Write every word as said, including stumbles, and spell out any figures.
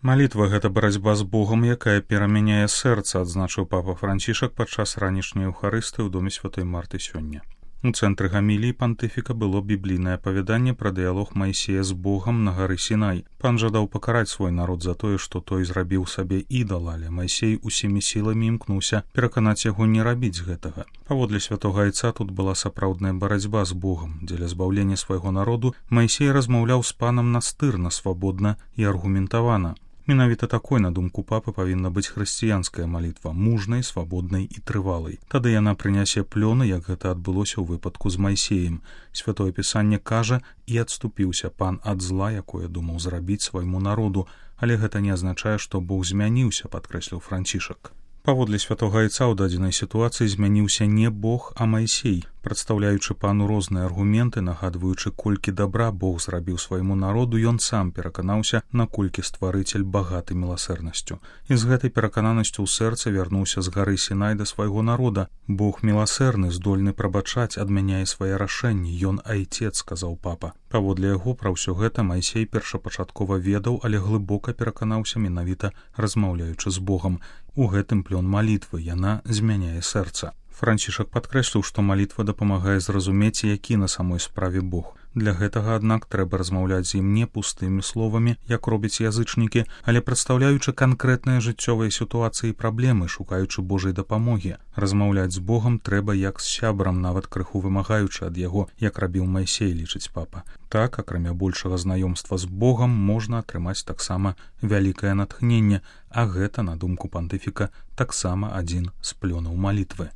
Малітва — гэта барацьба з Богам, якая перамяняе сэрца, адзначыў папа Францішак падчас ранішняй еўхарыстыі ў доме святой Марты сёння. У цэнтры гаміліі пантыфіка было біблійнае апавяданне пра дыялог Майсея з Богам на гары Сінай. Пан жадаў пакараць свой народ за тое, што той зрабіў сабе ідала, але Майсей усімі сіламі імкнуўся пераканаць яго не рабіць гэтага. Паводле святога айца тут была сапраўдная барацьба з Богам. Дзеля збаўлення свайго народу Майсей размаўляў з панам настырна, свабодна і аргументавана. Менавіта такой, на думку папы, павінна быць хрысціянская малітва, мужнай, свабоднай і трывалай. Тады яна прынясе плёны, як гэта адбылося ў выпадку з Майсеем. Святое пісанне кажа: «І адступіўся пан ад зла, якое думаў зрабіць свайму народу», але гэта не азначае, што Бог змяніўся, падкрэсліў Францішак. Паводле святога айца ў дадзенай сітуацыі змяніўся не Бог, а Майсей, прадстаўляючы пану розныя аргументы, нагадваючы, колькі дабра Бог зрабіў свайму народу, ён сам пераканаўся, наколькі стварыцель багаты міласэрнасцю. І з гэтай перакананасцю ў сэрца вярнуўся з гары Сінай да свайго народа. Бог міласэрны, здольны прабачаць, адмяняе свае рашэнні. Ён айцец, сказаў папа. Паводле яго, пра ўсё гэта Майсей першапачаткова ведаў, але глыбока пераканаўся менавіта размаўляючы з Богам. У гэтым плён малітвы, яна змяняе сэрца. Францішак падкрэсліў, што малітва дапамагае зразумець, які на самой справе Бог. Для гэтага, аднак, трэба размаўляць з ім не пустымі словамі, як робяць язычнікі, але прадстаўляючы канкрэтныя жыццёвыя сітуацыі і праблемы, шукаючы Божай дапамогі. Размаўляць з Богам трэба як з сябрам, нават крыху вымагаючы ад яго, як рабіў Майсей, лічыць папа. Так, акрамя большага знаёмства з Богам, можна атрымаць таксама вялікае натхненне, а гэта, на думку пантыфіка, таксама адзін з плёнаў малітвы.